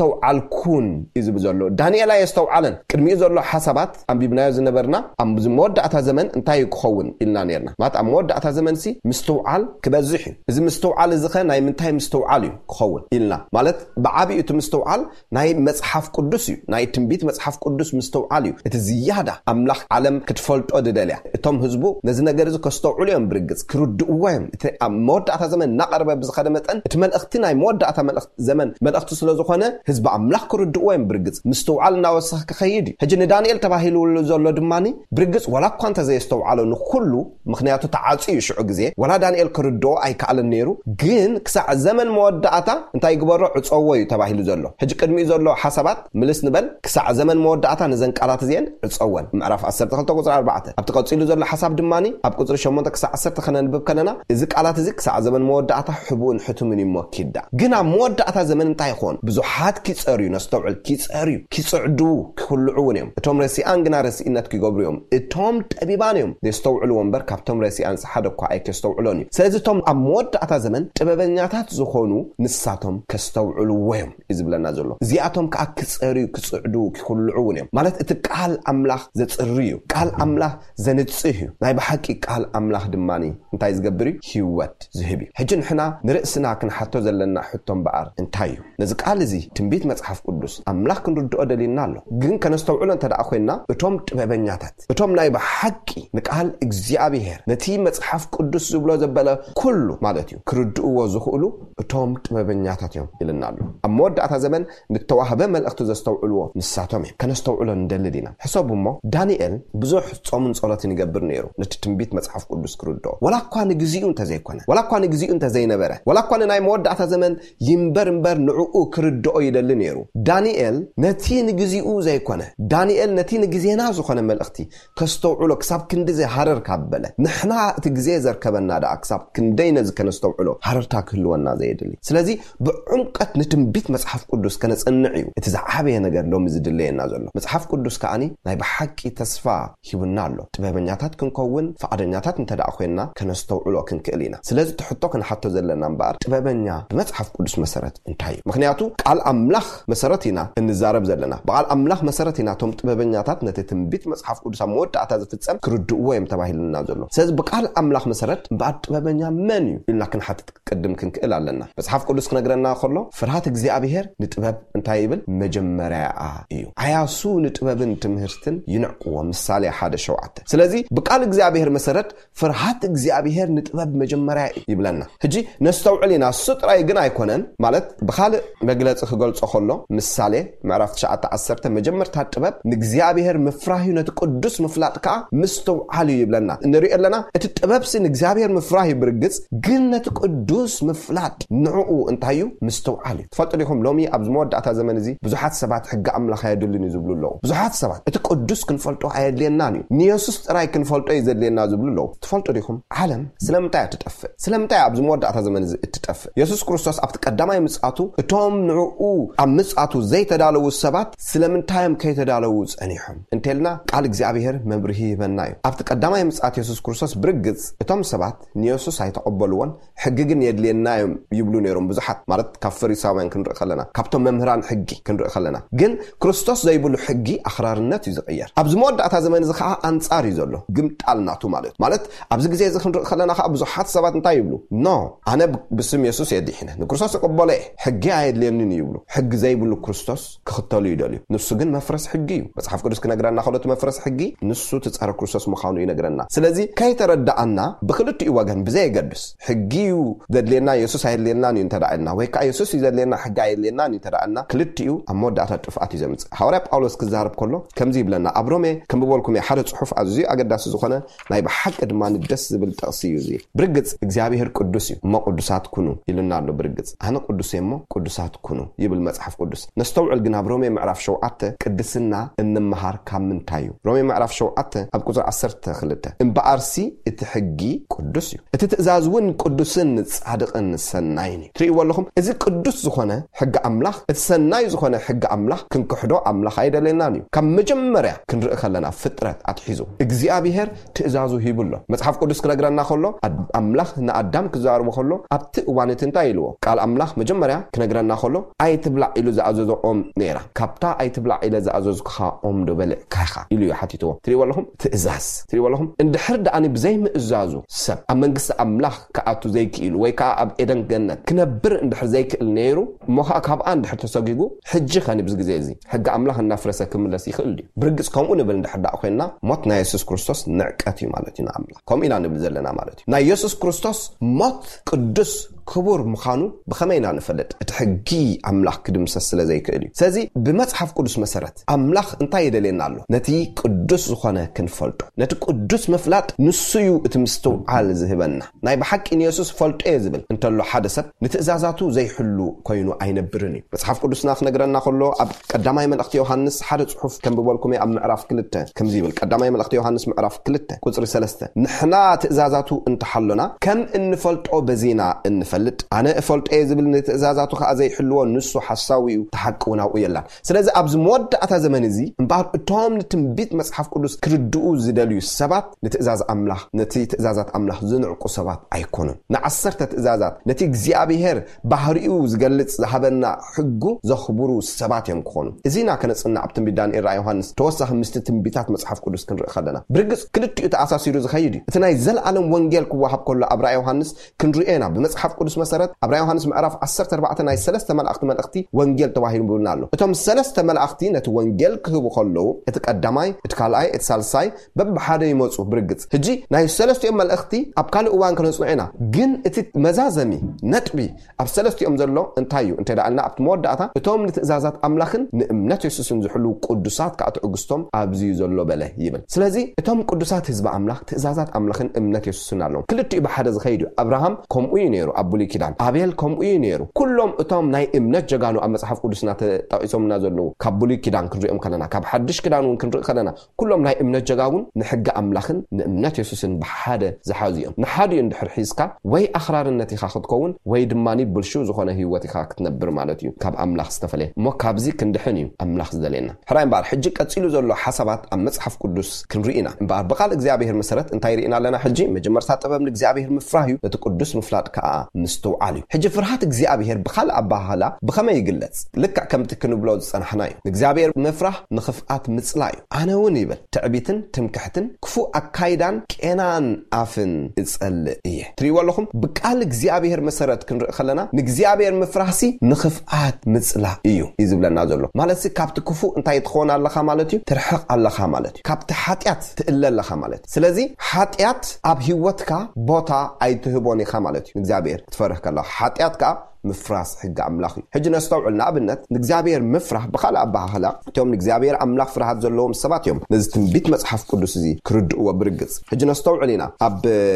ኣየስተውዓልኩን" እዩ ዝብል ዘሎ። ዳንኤል ኣየስተውዓለን። ቅድሚኡ ዘሎ ሓሳባት ኣንቢብናዮ ዝነበርና፣ ኣብዚ መወዳእታ ዘመን እንታይ እዩ ክኸውን ኢልና ነርና። ማለት ኣብ መወዳእታ ዘመን ሲ ምስትውዓል ክበዝሕ እዩ። እዚ ምስትውዓል እዚ ኸ ናይ ምንታይ ምስትውዓል እዩ ክኸውን ኢልና? ማለት ብዓቢኡ እቲ ምስትውዓል ናይ መጽሓፍ ቅዱስ እዩ። ናይ ትንቢት መጽሓፍ ቅዱስ ምስትውዓል እዩ። እቲ ዝያዳ ኣምላኽ ዓለም ክትፈልጦ ድደልያ። እቶም ህዝቡ ነዚ ነገር እዚ ከስተውዕሉ እዮም ብርግጽ፣ ክርድእዎ እዮም። እቲ ኣብ መወዳእታ ዘመን እናቐረበ ብዝኸደ መጠን፣ እቲ መልእኽቲ ናይ መወዳእታ መልእኽቲ ዘመን መልእኽቲ ስለ ዝኾነ፣ ህዝቢ ኣምላኽ ክርድእዎ እዮም ብርግጽ። ምስትውዓል እናወሰኸ ክኸይድ እዩ። ሕጂ ንዳንኤል ተባሂሉሉ ዘሎ ድማኒ ብርግጽ ዋላ እኳ እንተዘየስተውዓሎ ንኹሉ፣ ምኽንያቱ ተዓጽዩ ሽዑ ግዜ፣ ዋላ ዳንኤል ክርድኦ ኣይከኣለን ነይሩ፣ ግን ክሳዕ ዘመን መወዳእታ እንታይ ይግበሮ? ዕጸዎ እዩ ተባሂሉ ዘሎ። ሕጂ ቅድሚኡ ዘሎ ሓሳባት ምልስ ንበል። "ክሳዕ ዘመን መወዳእታ ነዘን ቃላት እዚአን ዕጸወን" ምዕራፍ ዓሰርተ ክልተ ቁጽሪ ኣርባዕተ። ኣብቲ ቀጺሉ ዘሎ ሓሳብ ድማኒ ኣብ ቁጽሪ ሸሞንተ ክሳዕ ዓሰርተ ከነንብብ ከለና፣ እዚ ቃላት እዚ ክሳዕ ዘመን መወዳእታ ሕቡእን ሕቱምን እዩ እሞ ኪዳ። ግን ኣብ መወዳእታ ዘመን እንታይ ይኾን? ብዙሓት ኪጸርዩ፣ ነስተውዕል፣ ኪጸርዩ፣ ኪጽዕዱ፣ ክኹልዑ እውን እዮም። እቶም ረሲኣን ግና ረሲእነት ኪገብሩ እዮም። እቶም ጠቢባን እዮም ዘስተውዕልዎ እምበር፣ ካብቶም ረሲኣንስ ሓደ እኳ ኣይከስተውዕሎን እዩ። ስለዚ እቶም ኣብ መወዳእታ ዘመን ጥበበኛታት ዝኾኑ ንሳቶም ከስተውዕልዎ እዮም እዩ ዝብለና ዘሎ። እዚኣቶም ከኣ ክጸርዩ፣ ክጽዕዱ፣ ክኹልዑ እውን እዮም። ማለት እቲ ቃል ኣምላኽ ዘጽሪ እዩ። ቃል ኣምላኽ ዘንጽህ እዩ። ናይ ብሓቂ ቃል ኣምላኽ ድማኒ እንታይ ዝገብር እዩ? ህይወት ዝህብ እዩ። ሕጂ ንሕና ንርእስና ክንሓቶ ዘለና ሕቶ እምበኣር እንታይ እዩ? ነዚ ቃል እዚ ትንቢት መጽሓፍ ቅዱስ ኣምላኽ ክንርድኦ ደሊና ኣሎ። ግን ከነስተውዕሎ እንተ ደኣ ኮይንና፣ እቶም ጥበበኛታት፣ እቶም ናይ ብሓቂ ንቃል እግዚኣብሔር፣ ነቲ መጽሓፍ ቅዱስ ዝብሎ ዘበለ ኩሉ ማለት እዩ፣ ክርድእዎ ዝኽእሉ እቶም ጥበበኛታት እዮም ኢልና ኣሎ። ኣብ መወዳእታ ዘመን ንተዋህበ መልእኽቲ ዘስተውዕልዎ ንሳቶም እዮም። ከነስተውዕሎ ንደሊ ዲና? ሕሰቡ እሞ፣ ዳንኤል ብዙሕ ጾምን ጸሎትን ይገብር ነይሩ፣ ነቲ ትንቢት መጽሓፍ ቅዱስ ክርድኦ። ወላ እኳ ንግዚኡ እንተዘይኮነ፣ ወላ እኳ ንግዚኡ እንተዘይነበረ፣ ወላ እኳ ንናይ መወዳእታ ዘመን ይንበር እምበር ንዕኡ ክርድኦ ይደሊ ነይሩ። ዳንኤል ነቲ ንግዚኡ ዘይኮነ፣ ዳንኤል ነቲ ንግዜና ዝኾነ መልእኽቲ ከስተውዕሎ ክሳብ ክንዲ ዘይሃረር ካብ በለ፣ ንሕና እቲ ግዜ ዘርከበና ደኣ ክሳብ ክንደይ ነዚ ከነስተውዕሎ ሃረርታ ክህልወና ዘየድሊ። ስለዚ ብዕምቀት ንትንቢት መጽሓፍ ቅዱስ ከነጽንዕ እዩ እቲ ዝዓበየ ነገር ሎሚ ዝድለየና ዘሎ። መጽሓፍ ቅዱስ ከኣኒ ናይ ብሓቂ ተስፋ ሂቡና ኣሎ። ጥበበኛታት ክንከውን ፍቓደኛታት እንተ ደኣ ኮይንና ከነስተውዕሎ ክንክእል ኢና። ስለዚ እቲ ሕቶ ክንሓቶ ዘለና እምበኣር ጥበበኛ ብመጽሓፍ ቅዱስ መሰረት እንታይ እዩ? ምኽንያቱ ቃል ኣምላኽ መሰረት ኢና እንዛረብ ዘለና። ብቃል ኣምላኽ መሰረት ኢና እቶም ጥበበኛታት ነቲ ትንቢት መጽሓፍ ቅዱስ ኣብ መወዳእታ ዝፍጸም ክርድእዎ እዮም ተባሂሉና ዘሎ። ስለዚ ብቃል ኣምላኽ መሰረት እምበኣር ጥበበኛ መን እዩ ኢልና ክንሓትት ቅድም ክንክእል ኣለና። መጽሓፍ ቅዱስ ክነግረና ከሎ ፍርሃት እግዚኣብሔር ንጥበብ እንታይ ይብል? መጀመርያኣ እዩ። ዓያሱ ንጥበብን ትምህርትን ይንዕቅዎ። ምሳሌ ሓደ ሸውዓተ። ስለዚ ብቃል እግዚኣብሔር መሰረት ፍርሃት እግዚኣብሔር ንጥበብ መጀመርያ እዩ ይብለና። ሕጂ ነስተውዕል ኢና። እሱ ጥራይ ግን ኣይኮነን፣ ማለት ብኻልእ መግለጺ ክገልጾ ከሎ ምሳሌ ምዕራፍ ትሽዓተ ዓሰርተ መጀመርታ ጥበብ ንእግዚኣብሔር ምፍራህ እዩ፣ ነቲ ቅዱስ ምፍላጥ ከኣ ምስትውዓል እዩ ይብለና። ንሪኦ ኣለና እቲ ጥበብሲ ንእግዚኣብሔር ምፍራህ እዩ ብርግጽ፣ ግን ነቲ ቅዱስ ምፍላጥ ንዕኡ እንታይ እዩ? ምስትውዓል እዩ። ትፈልጡ ዲኹም ሎሚ ኣብዚ መወዳእታ ዘመን እዚ ብዙሓት ሰባት ሕጊ ኣምላኽ ኣየድልን እዩ ዝብሉ ኣለዉ። ብዙሓት ሰባት እቲ ቅዱስ ክንፈልጦ ኣየድልየናን እዩ፣ ንየሱስ ጥራይ ክንፈልጦ እዩ ዘድልየና ዝብሉ ኣለዉ። ትፈልጡ ዲኹም ዓለም ስለምንታይ እያ ትጠፍእ? ስለምንታይ እያ ኣብዚ መወዳእታ ዘመን እዚ እትጠፍእ? የሱስ ክርስቶስ ኣብቲ ቀዳማይ ምጽኣቱ እቶም ንዕኡ ኣብ ምጽኣቱ ዘይተዳለዉ ሰባት ስለምንታይ እዮም ከይተዳለዉ ጸኒሖም እንተልና ቃል እግዚኣብሔር መብርሂ ይህበና እዩ። ኣብቲ ቀዳማይ ምጽኣት የሱስ ክርስቶስ ብርግጽ እቶም ሰባት ንየሱስ ኣይተቐበልዎን፣ ሕጊ ግን የድልየና እዮም ይብሉ ነይሮም ብዙሓት፣ ማለት ካብ ፈሪሳውያን ክንርኢ ከለና፣ ካብቶም መምህራን ሕጊ ክንርኢ ከለና። ግን ክርስቶስ ዘይብሉ ሕጊ ኣኽራርነት እዩ ዝቕየር። ኣብዚ መወዳእታ ዘመን እዚ ከዓ ኣንጻር እዩ ዘሎ፣ ግምጣል ናቱ ማለት እዩ። ማለት ኣብዚ ግዜ እዚ ክንርኢ ከለና ከዓ ብዙሓት ሰባት እንታይ ይብሉ? ኖ፣ ኣነ ብ-፣ ብስም የሱስ እየ ድሒነ፣ ንክርስቶስ እቕበሎ እየ፣ ሕጊ ኣየድልየንን እዩ ይብሉ። ሕጊ ዘይብሉ ክርስቶስ ክኽተሉ ይደልዩ። ንሱ ግን መፍረስ ሕጊ እዩ። መጽሓፍ ቅዱስ ክነግረና ከሎ እቲ መፍረስ ሕጊ ንሱ እቲ ጸረ ክርስቶስ ምዃኑ ይነግረና። ስለዚ ከይተረዳኣና ብክልቲኡ ወገን ብዘየገድስ ሕጊ እዩ ዘድልየና የሱስ ኣየድልየናን እዩ እንተ ደኣ ኢልና፣ ወይ ከዓ የሱስ እዩ ዘድልየና ሕጊ ኣየድልየናን እዩ እንተ ደኣ ኢልና፣ ክልቲኡ ኣብ መወዳእታ ጥፍኣት እዩ ዘምጽእ። ሃዋርያ ጳውሎስ ክዛረብ ከሎ ከምዚ ይብለና፣ ኣብ ሮሜ ከንብበልኩም እየ ሓደ ጽሑፍ ኣዝዩ ኣገዳሲ ዝኾነ ናይ ብሓቂ ድማ ደስ ዝብል ጥቕሲ እዩ እዚ። ብርግጽ እግዚኣብሔር ቅዱስ እዩ፣ እሞ ቅዱሳት ኩኑ ኢሉና ኣሎ። ብርግጽ ኣነ ቅዱስ እየ እሞ ቅዱሳት ኩኑ ይብል መጽሓፍ ቅዱስ። ነስተውዕል ግን ኣብ ሮሜ ምዕራፍ ሸውዓተ ቅድስና እንመሃር ካብ ምንታይ እዩ? ሮሜ ምዕራፍ ሸውዓተ ኣብ ቁጽሪ ዓሰርተ ክልተ እምበኣርሲ እቲ ሕጊ ቅዱስ እዩ፣ እቲ ትእዛዝ እውን ቅዱስን ጻድቕን ሰናይን እዩ። ትርእይዎ ኣለኹም፣ እዚ ቅዱስ ዝኾነ ሕጊ ኣምላኽ፣ እቲ ሰናይ ዝኾነ ሕጊ ኣምላኽ ክንክሕዶ ኣምላኽ ኣይደለየናን እዩ። ካብ መጀመርያ ክንርኢ ከለና ፍጥረት ኣትሒዙ እግዚኣብሔር ትእዛዙ ሂቡ ኣሎ። መጽሓፍ ቅዱስ ክነግረና ከሎ ኣድ-፣ ኣምላኽ ንኣዳም ክዛረቦ ከሎ ኣብቲ እዋን እቲ እንታይ ኢልዎ? ቃል ኣምላኽ መጀመርያ ክነግረና ከሎ ኣይትብላዕ ኢሉ ዝኣዘዞ ኦም ነይራ። ካብታ ኣይትብላዕ ኢለ ዝኣዘዝኩኻ ኦም ዶ በሊዕካ ኢኻ ኢሉ እዩ ሓቲትዎ። ትርእይዎ ኣለኹም? ትእዛዝ። ትርእይዎ ኣለኹም? እንድሕር ደኣኒ ብዘይ ምእዛዙ ሰብ ኣብ መንግስቲ ኣምላኽ ክኣቱ ዘይክኢሉ ወይ ከዓ ኣብ ኤደን ገነት ክነብር እንድሕር ዘይክእል ነይሩ እሞ ከዓ ካብኣ እንድሕር ተሰጊጉ ሕጂ ኸኒ ብዚ ግዜ እዚ ሕጊ ኣምላኽ እናፍረሰ ክምለስ ይኽእል ድዩ? ብርግጽ ከምኡ ንብል እንድሕር ደኣ ኮይንና ሞት ናይ የሱስ ክርስቶስ ንዕቀት እዩ ማለት እዩ ንኣምላኽ። ከምኡ ኢና ንብል ዘለና ማለት እዩ። ናይ የሱስ ክርስቶስ ሞት ቅዱስ ክቡር ምዃኑ ብኸመይ ኢና ንፈልጥ? እቲ ሕጊ ኣምላኽ ክድምሰስ ስለ ዘይክእል እዩ። ስለዚ ብመጽሓፍ ቅዱስ መሰረት ኣምላኽ እንታይ የደልየና ኣሎ? ነቲ ቅዱስ ዝኾነ ክንፈልጦ። ነቲ ቅዱስ ምፍላጥ ንሱ እዩ እቲ ምስትውዓል ዝህበና። ናይ ብሓቂ ንየሱስ ፈልጦ እየ ዝብል እንተሎ ሓደ ሰብ ንትእዛዛቱ ዘይሕሉ ኮይኑ ኣይነብርን እዩ። መጽሓፍ ቅዱስና ክነግረና ከሎ ኣብ ቀዳማይ መልእኽቲ ዮሃንስ ሓደ ጽሑፍ ከንብበልኩም እየ። ኣብ ምዕራፍ ክልተ ከምዚ ይብል። ቀዳማይ መልእኽቲ ዮሃንስ ምዕራፍ ክልተ ቁጽሪ ሰለስተ፣ "ንሕና ትእዛዛቱ እንተሓሎና ከም እንፈልጦ በዚና እንፈልጥ። ኣነ እፈልጦ እየ ዝብል ንትእዛዛቱ ከኣ ዘይሕልዎ ንሱ ሓሳዊ እዩ፣ እቲ ሓቂ እውን ኣብኡ የላን።" ስለዚ ኣብዚ መወዳእታ ዘመን እዚ እምበኣር እቶም ንትንቢት መጽሓፍ ቅዱስ ክርድኡ ዝደልዩ ሰባት ንትእዛዝ ኣምላኽ፣ ነቲ ትእዛዛት ኣምላኽ ዝንዕቁ ሰባት ኣይኮኑን። ንዓሰርተ ትእዛዛት፣ ነቲ እግዚኣብሔር ባህሪኡ ዝገልጽ ዝሃበና ሕጉ ዘኽብሩ ሰባት እዮም ክኾኑ። እዚና ከነጽንዕ ኣብ ትንቢት ዳንኤል ራእይ ዮሃንስ ተወሳኺ ምስቲ ትንቢታት መጽሓፍ ቅዱስ ክንርኢ ከለና። ብርግጽ ክልቲኡ ተኣሳሲሩ ዝኸይድ እዩ። እቲ ናይ ዘለኣለም ወንጌል ክወሃብ ከሎ ኣብ ራእይ ዮሃንስ ክንርእዮ ኢና። ብመጽሓፍ ቅዱስ መሰረት ኣብ ራእይ ዮሃንስ ምዕራፍ ዓሰርተ ኣርባዕተ ናይ ሰለስተ መላእኽቲ መልእኽቲ ወንጌል ተባሂሉ ብልና ኣሎ። እቶም ሰለስተ መላእኽቲ ነቲ ወንጌል ክህቡ ከለዉ እቲ ቀዳማይ፣ እቲ ካልኣይ፣ እቲ ሳልሳይ በብሓደ ይመጹ። ብርግጽ ሕጂ ናይ ሰለስቲኦም መልእኽቲ ኣብ ካልእ እዋን ከነጽንዖ ኢና። ግን እቲ መዛዘሚ ነጥቢ ኣብ ሰለስቲኦም ዘሎ እንታይ እዩ እንተ ደኣልና ኣብቲ መወዳእታ እቶም ንትእዛዛት ኣምላኽን ንእምነት የሱስን ዝሕልዉ ቅዱሳት ከኣ ትዕግስቶም ኣብዚ እዩ ዘሎ በለ ይብል። ስለዚ እቶም ቅዱሳት ህዝቢ ኣምላኽ ትእዛዛት ኣምላኽን እምነት የሱስን ኣለዎም። ክልቲኡ ብሓደ ዝኸይድ እዩ። ኣብርሃም ከምኡ እዩ ነይሩ። ኣብ ብሉይ ኪዳን። ኣቤል ከምኡ እዩ ነይሩ። ኩሎም እቶም ናይ እምነት ጀጋኑ ኣብ መጽሓፍ ቅዱስና ተጠቒሶምና ዘለዉ፣ ካብ ብሉይ ኪዳን ክንሪኦም ከለና፣ ካብ ሓድሽ ኪዳን እውን ክንርኢ ከለና፣ ኩሎም ናይ እምነት ጀጋኑን ንሕጊ ኣምላኽን ንእምነት የሱስን ብሓደ ዝሓዙ እዮም። ንሓዲኡ እንድሕር ሒዝካ፣ ወይ ኣኽራርነት ኢኻ ክትከውን፣ ወይ ድማ ብልሽው ዝኾነ ህይወት ኢኻ ክትነብር ማለት እዩ፣ ካብ ኣምላኽ ዝተፈለየ። እሞ ካብዚ ክንድሕን እዩ ኣምላኽ ዝደልየና። ሕራይ እምበኣር፣ ሕጂ ቀጺሉ ዘሎ ሓሳባት ኣብ መጽሓፍ ቅዱስ ክንርኢ ኢና። እምበኣር፣ ብቓል እግዚኣብሔር መሰረት እንታይ ርኢና ኣለና? ሕጂ መጀመርታ ጥበብ ንእግዚኣብሔር ምፍራህ እዩ፣ ነቲ ቅዱስ ምፍላጥ ከኣ ምስትውዓል እዩ። ሕጂ ፍርሃት እግዚኣብሔር ብኻልእ ኣባህላ ብኸመይ ይግለጽ? ልክዕ ከምቲ ክንብሎ ዝጸናሕና እዩ። ንእግዚኣብሔር ምፍራህ ንኽፍኣት ምጽላእ እዩ። ኣነ እውን ይብል፣ ትዕቢትን ትምክሕትን ክፉእ ኣካይዳን ቄናን ኣፍን እጸልእ እየ። ትርእይዎ ኣለኹም? ብቃል እግዚኣብሔር መሰረት ክንርኢ ከለና፣ ንእግዚኣብሔር ምፍራህሲ ንኽፍኣት ምጽላእ እዩ፣ እዩ ዝብለና ዘሎ። ማለትሲ፣ ካብቲ ክፉእ እንታይ ትኸውን ኣለኻ ማለት እዩ? ትርሕቕ ኣለኻ ማለት እዩ። ካብቲ ሓጢኣት ትእለ ኣለኻ ማለት እዩ። ስለዚ፣ ሓጢኣት ኣብ ህይወትካ ቦታ ኣይትህቦን ኢኻ ማለት እዩ። ንእግዚኣብሔር ክትፈርህ ከለኻ፣ ሓጢኣት ከኣ ምፍራስ ሕጊ ኣምላኽ እዩ። ሕጂ ነስተውዕል። ንኣብነት፣ ንእግዚኣብሔር ምፍራህ ብኻልእ ኣበሃህላ፣ እቶም ንእግዚኣብሔር ኣምላኽ ፍርሃት ዘለዎም ሰባት እዮም ነዚ ትንቢት መጽሓፍ ቅዱስ እዚ ክርድእዎ ብርግጽ። ሕጂ ነስተውዕል ኢና ኣብ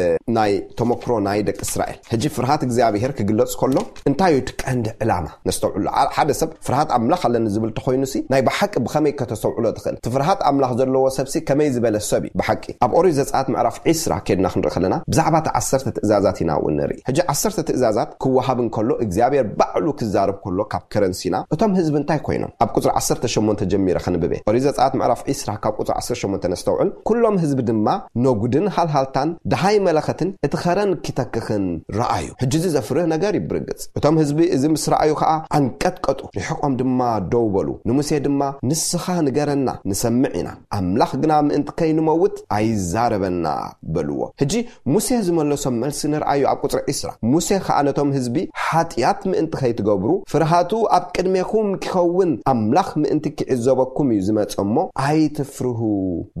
ናይ ተመክሮ ናይ ደቂ እስራኤል። ሕጂ ፍርሃት እግዚኣብሔር ክግለጽ ከሎ እንታይ እዩ እቲ ቀንዲ ዕላማ? ነስተውዕሉ። ኣ-፣ ሓደ ሰብ ፍርሃት ኣምላኽ ኣለኒ ዝብል ተኾይኑሲ ናይ ብሓቂ ብኸመይ ከተስተውዕሎ ትኽእል? እቲ ፍርሃት ኣምላኽ ዘለዎ ሰብሲ ከመይ ዝበለ ሰብ እዩ ብሓቂ? ኣብ ኦሪት ዘጸኣት ምዕራፍ ዒስራ ኬድና ክንርኢ ከለና ብዛዕባ እቲ ዓሰርተ ትእዛዛት ኢና እውን ንርኢ። ሕጂ ዓሰርተ ትእዛዛት ክወሃብ እንከሎ እግዚኣብሔር ባዕሉ ክዛረብ ከሎ ካብ ከረን ሲና እቶም ህዝቢ እንታይ ኮይኖም? ኣብ ቁጽሪ ዓሰርተ ሸሞንተ ጀሚረ ከንብብ እየ። ኦሪት ዘጸኣት ምዕራፍ ዒስራ ካብ ቁጽሪ ዓሰርተ ሸሞንተ ነስተውዕል። ኩሎም ህዝቢ ድማ ነጉድን ሃልሃልታን ደሃይ መለኸትን እቲ ኸረን ኪተክኽን ረኣዩ። ሕጂ እዚ ዘፍርህ ነገር እዩ ብርግጽ። እቶም ህዝቢ እዚ ምስ ረኣዩ ኸኣ ኣንቀጥቀጡ፣ ርሒቖም ድማ ደው በሉ። ንሙሴ ድማ ንስኻ ንገረና ንሰምዕ ኢና፣ ኣምላኽ ግና ምእንቲ ከይንመውት ኣይዛረበና በልዎ። ሕጂ ሙሴ ዝመለሶም መልሲ ንርኣዩ ኣብ ቁጽሪ ዒስራ። ሙሴ ኸኣ ነቶም ህዝቢ ሓጢኣት ምእንቲ ከይትገብሩ ፍርሃቱ ኣብ ቅድሜኹም ኪኸውን ኣምላኽ ምእንቲ ኪዕዘበኩም እዩ ዝመጸ እሞ ኣይትፍርሁ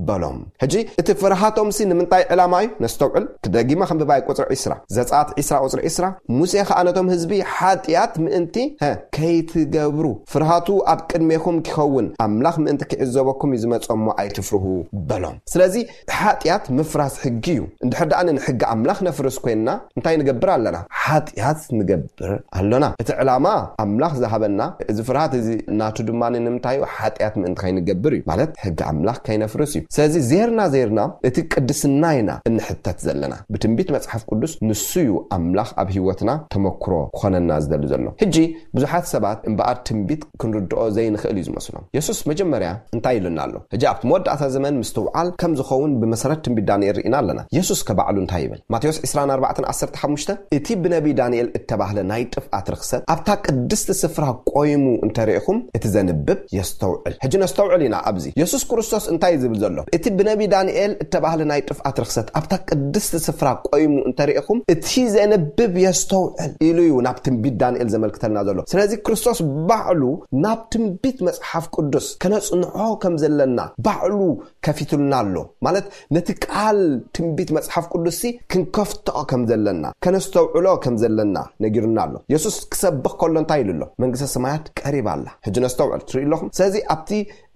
በሎም። ሕጂ እቲ ፍርሃቶምሲ ንምንታይ ዕላማ እዩ? ነስተውዕል። ክደጊመ ከንብባ እየ ቁጽሪ ዒስራ። ዘጸኣት ዒስራ ቁጽሪ ዒስራ። ሙሴ ኸኣ ነቶም ህዝቢ ሓጢኣት ምእንቲ፣ ሀ፣ ከይትገብሩ ፍርሃቱ ኣብ ቅድሜኹም ኪኸውን ኣምላኽ ምእንቲ ኪዕዘበኩም እዩ ዝመጸ እሞ ኣይትፍርሁ በሎም። ስለዚ ሓጢኣት ምፍራስ ሕጊ እዩ። እንድሕር ደኣ ንሕጊ ኣምላኽ ነፍርስ ኮይንና እንታይ ንገብር ኣለና? ሓጢኣት ንገብር ኣሎና። እቲ ዕላማ ኣምላኽ ዝሃበና እዚ ፍርሃት እዚ ናቱ ድማ ንምንታይ እዩ? ሓጢኣት ምእንቲ ከይንገብር እዩ። ማለት ሕጊ ኣምላኽ ከይነፍርስ እዩ። ስለዚ ዜርና ዜርና እቲ ቅድስና ኢና እንሕተት ዘለና። ብትንቢት መጽሓፍ ቅዱስ ንሱ እዩ ኣምላኽ ኣብ ህይወትና ተመክሮ ክኾነና ዝደሊ ዘሎ። ሕጂ ብዙሓት ሰባት እምበኣር ትንቢት ክንርድኦ ዘይንኽእል እዩ ዝመስሎም። የሱስ መጀመርያ እንታይ ኢሉና ኣሎ? ሕጂ ኣብቲ መወዳእታ ዘመን ምስትውዓል ከም ዝኸውን ብመሰረት ትንቢት ዳንኤል ርኢና ኣለና። የሱስ ከባዕሉ እንታይ ይብል? ማቴዎስ ዕስራን ኣርባዕተን ዓሰርተ ሓሙሽተ፣ እቲ ብነቢ ዳንኤል እተባህለ ናይ ጥፍኣት ርኽሰት ኣብታ ቅድስቲ ስፍራ ቆይሙ እንተሪኢኹም፣ እቲ ዘንብብ የስተውዕል። ሕጂ ነስተውዕል ኢና ኣብዚ። የሱስ ክርስቶስ እንታይ እዩ ዝብል ዘሎ? እቲ ብነቢ ዳንኤል እተባህለ ናይ ጥፍኣት ርኽሰት ኣብታ ቅድስቲ ስፍራ ቆይሙ እንተሪኢኹም፣ እቲ ዘንብብ የስተውዕል ኢሉ እዩ ናብ ትንቢት ዳንኤል ዘመልክተልና ዘሎ። ስለዚ ክርስቶስ ባዕሉ ናብ ትንቢት መጽሓፍ ቅዱስ ከነጽንዖ ከም ዘለና ባዕሉ ከፊቱልና ኣሎ። ማለት ነቲ ቃል ትንቢት መጽሓፍ ቅዱስሲ ክንከፍቶ ከም ዘለና፣ ከነስተውዕሎ ከም ዘለና ነጊሩና ኣሎ። የሱስ ክሰብኽ ከሎ እንታይ ኢሉ ኣሎ? መንግስተ ሰማያት ቀሪባ ኣላ። ሕጂ ነስተውዕል፣ ትርእዩ ኣለኹም። ስለዚ ኣብቲ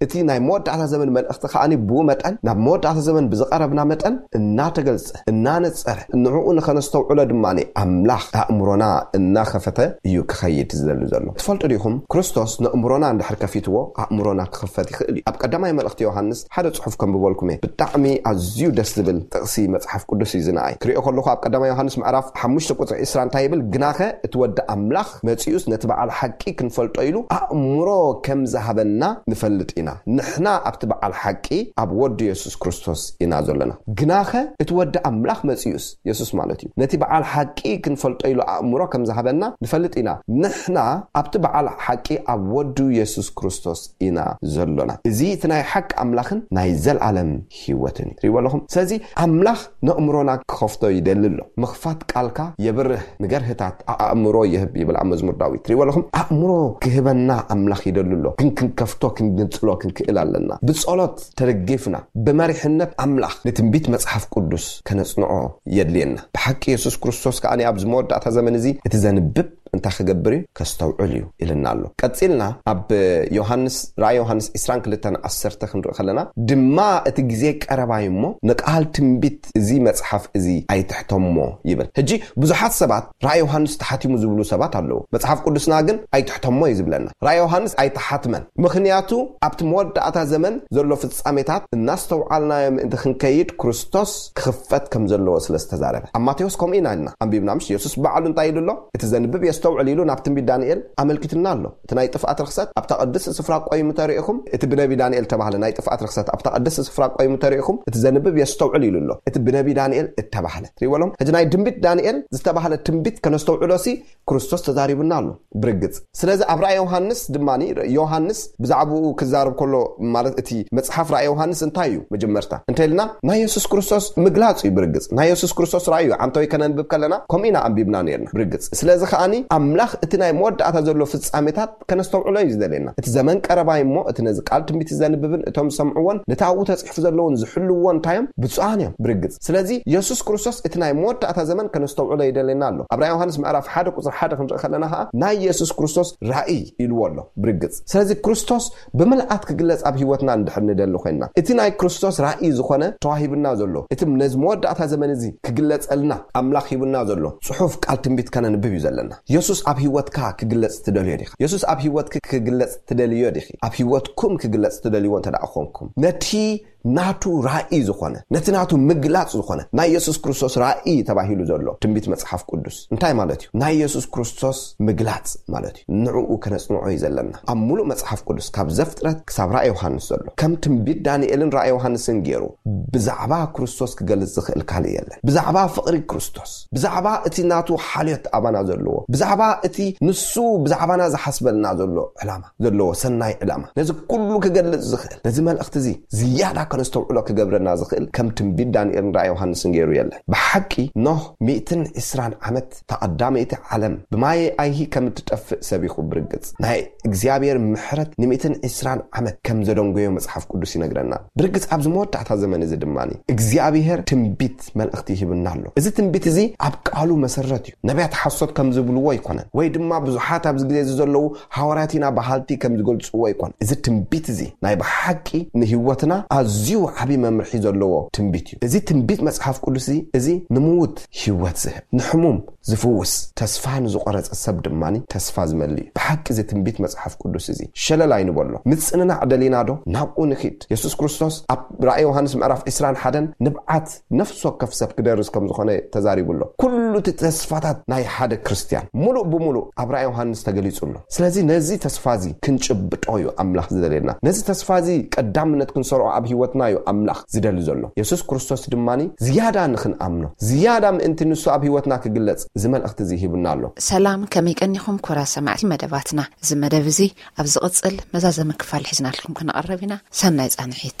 እቲ ናይ መወዳእታ ዘመን መልእኽቲ ከኣ ብኡ መጠን፣ ናብ መወዳእታ ዘመን ብዝቐረብና መጠን እናተገልጸ፣ እናነጸረ፣ ንዕኡ ንኸነስተውዕሎ ድማ ኣምላኽ ኣእምሮና እናኸፈተ እዩ ክኸይድ ዝደሊ ዘሎ። ትፈልጡ ዲኹም? ክርስቶስ ነእምሮና እንድሕር ከፊትዎ፣ ኣእምሮና ክኽፈት ይኽእል እዩ። ኣብ ቀዳማይ መልእኽቲ ዮሃንስ ሓደ ጽሑፍ ከንብበልኩም እየ። ብጣዕሚ ኣዝዩ ደስ ዝብል ጥቕሲ መጽሓፍ ቅዱስ እዩ ዝነኣይ። ክሪኦ ከለኹ ኣብ ቀዳማይ ዮሃንስ ምዕራፍ ሓሙሽተ ቁጽሪ ዕስራ እንታይ ይብል? ግናኸ እቲ ወዲ ኣምላኽ መጺኡስ ነቲ በዓል ሓቂ ክንፈልጦ ኢሉ ኣእምሮ ከም ዝሃበና ንፈልጥ ኢና። ንሕና ኣብቲ በዓል ሓቂ ኣብ ወዱ የሱስ ክርስቶስ ኢና ዘለና። ግናኸ እቲ ወዲ ኣምላኽ መጺኡስ፣ የሱስ ማለት እዩ፣ ነቲ በዓል ሓቂ ክንፈልጦ ኢሉ ኣእምሮ ከም ዝሃበና ንፈልጥ ኢና። ንሕና ኣብቲ በዓል ሓቂ ኣብ ወዱ የሱስ ክርስቶስ ኢና ዘሎና። እዚ እቲ ናይ ሓቂ ኣምላኽን ናይ ዘልኣለም ህይወትን እዩ። ትሪእዎ ኣለኹም? ስለዚ ኣምላኽ ነእምሮና ክኸፍቶ ይደሊ ኣሎ። ምኽፋት ቃልካ የብርህ፣ ንገርህታት ኣእምሮ ይህብ ይብል ኣብ መዝሙር ዳዊት። ትሪእዎ ኣለኹም? ኣእምሮ ክህበና ኣምላኽ ይደሊ ኣሎ። ግን ክንከፍቶ፣ ክንግንጽሎ ክንክእል ኣለና። ብጸሎት ተደጊፍና፣ ብመሪሕነት ኣምላኽ ንትንቢት መጽሓፍ ቅዱስ ከነጽንዖ የድልየና። ብሓቂ የሱስ ክርስቶስ ከኣ ኣብዚ መወዳእታ ዘመን እዚ እቲ ዘንብብ እንታይ ክገብር እዩ? ከስተውዕል እዩ ኢልና ኣሎ። ቀጺልና ኣብ ዮሃንስ፣ ራእይ ዮሃንስ ዕስራን ክልተን ዓሰርተ ክንርኢ ከለና ድማ፣ እቲ ግዜ ቀረባይ እሞ ንቃል ትንቢት እዚ መጽሓፍ እዚ ኣይትሕተሞ ይብል። ሕጂ ብዙሓት ሰባት ራእይ ዮሃንስ ተሓቲሙ ዝብሉ ሰባት ኣለዉ። መጽሓፍ ቅዱስና ግን ኣይትሕተሞ እዩ ዝብለና። ራእይ ዮሃንስ ኣይተሓትመን። ምኽንያቱ ኣብቲ መወዳእታ ዘመን ዘሎ ፍጻሜታት እናስተውዓልናዮ ምእንቲ ክንከይድ ክርስቶስ ክኽፈት ከም ዘለዎ ስለ ዝተዛረበ። ኣብ ማቴዎስ ከምኡ ኢና ኢልና ኣንቢብና፣ ምሽ? የሱስ ባዕሉ እንታይ ኢሉ ኣሎ? "እቲ ዘንብብ የስተውዕል" ኢሉ ናብ ትንቢት ዳንኤል ኣመልኪትና ኣሎ። እቲ ናይ ጥፍኣት ርኽሰት ኣብታ ቅድስቲ ስፍራ ቆይሙ ተሪእኹም፣ እቲ ብነቢ ዳንኤል ተባህለ ናይ ጥፍኣት ርኽሰት ኣብታ ቅድስቲ ስፍራ ቆይሙ ተሪእኹም፣ እቲ ዘንብብ የስተውዕል ኢሉ ኣሎ። እቲ ብነቢ ዳንኤል እተባህለ። ትሪእዎ ኣለኹም? ሕጂ ናይ ድንቢት ዳንኤል ዝተባህለ ትንቢት ከነስተውዕሎ ሲ ክርስቶስ ተዛሪቡና ኣሎ ብርግጽ። ስለዚ ኣብ ራእይ ዮሃንስ ድማ፣ ዮሃንስ ብዛዕባኡ ክዛረብ ከሎ፣ ማለት እቲ መጽሓፍ ራእይ ዮሃንስ እንታይ እዩ? መጀመርታ እንተ ኢልና ናይ የሱስ ክርስቶስ ምግላጽ እዩ ብርግጽ። ናይ የሱስ ክርስቶስ ራእይ እዩ። ዓንተወይ ከነንብብ ከለና ከምኡ ኢና ኣንቢብና ነርና ብርግጽ። ስለዚ ከኣኒ ኣምላኽ እቲ ናይ መወዳእታ ዘሎ ፍጻሜታት ከነስተውዕሎ እዩ ዝደልየና። እቲ ዘመን ቀረባይ እሞ፣ እቲ ነዚ ቃል ትንቢት ዘንብብን እቶም ዝሰምዕዎን ነቲ ኣብኡ ተጽሒፉ ዘለውን ዝሕልውዎ እንታይ እዮም? ብፁዓን እዮም ብርግጽ። ስለዚ የሱስ ክርስቶስ እቲ ናይ መወዳእታ ዘመን ከነስተውዕሎ ይደልየና ኣሎ። ኣብ ራእይ ዮሃንስ ምዕራፍ ሓደ ቁጽሪ ሓደ ክንርኢ ከለና ከኣ ናይ የሱስ ክርስቶስ ራእይ ኢልዎ ኣሎ ብርግጽ። ስለዚ ክርስቶስ ብምልኣት ክግለጽ ኣብ ህይወትና እንድሕር ንደሊ ኮይንና፣ እቲ ናይ ክርስቶስ ራእይ ዝኾነ ተዋሂብና ዘሎ፣ እቲ ነዚ መወዳእታ ዘመን እዚ ክግለጸልና ኣምላኽ ሂብና ዘሎ ጽሑፍ ቃል ትንቢት ከነንብብ እዩ ዘለና። የሱስ ኣብ ህይወትካ ክግለጽ ትደልዮ ዲኻ? የሱስ ኣብ ህይወትኪ ክግለጽ ትደልዮ ዲኺ? ኣብ ህይወትኩም ክግለጽ ትደልይዎ እንተ ደኣ ኮንኩም፣ ነቲ ናቱ ራእይ ዝኾነ፣ ነቲ ናቱ ምግላጽ ዝኾነ ናይ የሱስ ክርስቶስ ራእይ ተባሂሉ ዘሎ ትንቢት መጽሓፍ ቅዱስ እንታይ ማለት እዩ? ናይ የሱስ ክርስቶስ ምግላጽ ማለት እዩ። ንዕኡ ከነጽንዖ እዩ ዘለና። ኣብ ሙሉእ መጽሓፍ ቅዱስ ካብ ዘፍጥረት ክሳብ ራእይ ዮሃንስ ዘሎ፣ ከም ትንቢት ዳንኤልን ራእይ ዮሃንስን ገይሩ ብዛዕባ ክርስቶስ ክገልጽ ዝኽእል ካልእ የለን። ብዛዕባ ፍቕሪ ክርስቶስ፣ ብዛዕባ እቲ ናቱ ሓልዮት ኣባና ዘለዎ፣ ብዛዕባ እቲ ንሱ ብዛዕባና ዝሓስበልና ዘሎ ዕላማ፣ ዘለዎ ሰናይ ዕላማ፣ ነዚ ኩሉ ክገልጽ ዝኽእል፣ ነዚ መልእኽቲ እዚ ዝያዳ ከነስተውዕሎ ክገብረና ዝኽእል ከም ትንቢት ዳንኤልን ራእይ ዮሃንስን ገይሩ የለን። ብሓቂ ኖህ ሚእትን ዕስራን ዓመት፣ እታ ቀዳመይቲ ዓለም ብማየ ኣይሂ ከም እትጠፍእ ሰቢኹ ብርግጽ። ናይ እግዚኣብሔር ምሕረት ንሚእትን ዕስራን ዓመት ከም ዘደንጎዮ መጽሓፍ ቅዱስ ይነግረና። ብርግጽ ኣብዚ መወዳእታ ዘመን እዚ ድማ እግዚኣብሔር ትንቢት መልእኽቲ ይህብና ኣሎ። እዚ ትንቢት እዚ ኣብ ቃሉ መሰረት እዩ። ነቢያት ሓሶት ከም ዝብልዎ ኣይኮነን፣ ወይ ድማ ብዙሓት ኣብዚ ግዜ እዚ ዘለዉ ሃዋርያት ኢና በሃልቲ ከም ዝገልጽዎ ኣይኮነን። እዚ ትንቢት እዚ ናይ ብሓቂ ንህይወትና ኣዝዩ ዓቢ መምርሒ ዘለዎ ትንቢት እዩ። እዚ ትንቢት መጽሓፍ ቅዱስ እዚ፣ እዚ ንምዉት ህይወት ዝህብ፣ ንሕሙም ዝፍውስ፣ ተስፋ ንዝቖረጸ ሰብ ድማ ተስፋ ዝመልእ እዩ። ብሓቂ እዚ ትንቢት መጽሓፍ ቅዱስ እዚ ሸለል ኣይንበሎ። ምጽንናዕ ደሊና ዶ? ናብኡ ንኺድ። የሱስ ክርስቶስ ኣብ ራእይ ዮሃንስ ምዕራፍ ዕስራን ሓደን ንብዓት ነፍሲ ወከፍ ሰብ ክደርስ ከም ዝኾነ ተዛሪቡ ኣሎ። ኩሉ እቲ ተስፋታት ናይ ሓደ ክርስትያን ሙሉእ ብሙሉእ ኣብ ራእይ ዮሃንስ ተገሊጹ ኣሎ። ስለዚ ነዚ ተስፋ እዚ ክንጭብጦ እዩ ኣምላኽ ዝደልየና። ነዚ ተስፋ እዚ ቀዳምነት ክንሰርዖ ኣብ ህይወትና እዩ ኣምላኽ ዝደሊ ዘሎ። የሱስ ክርስቶስ ድማ ዝያዳ ንኽንኣምኖ፣ ዝያዳ ምእንቲ ንሱ ኣብ ህይወትና ክግለጽ እዚ መልእኽቲ እዚ ሂቡና ኣሎ። ሰላም፣ ከመይ ቀኒኹም ክቡራት ሰማዕቲ መደባትና? እዚ መደብ እዚ ኣብ ዝቕጽል መዛዘሚ ክፋል ሒዝናልኩም ክንቐርብ ኢና። ሰናይ ጻንሒት።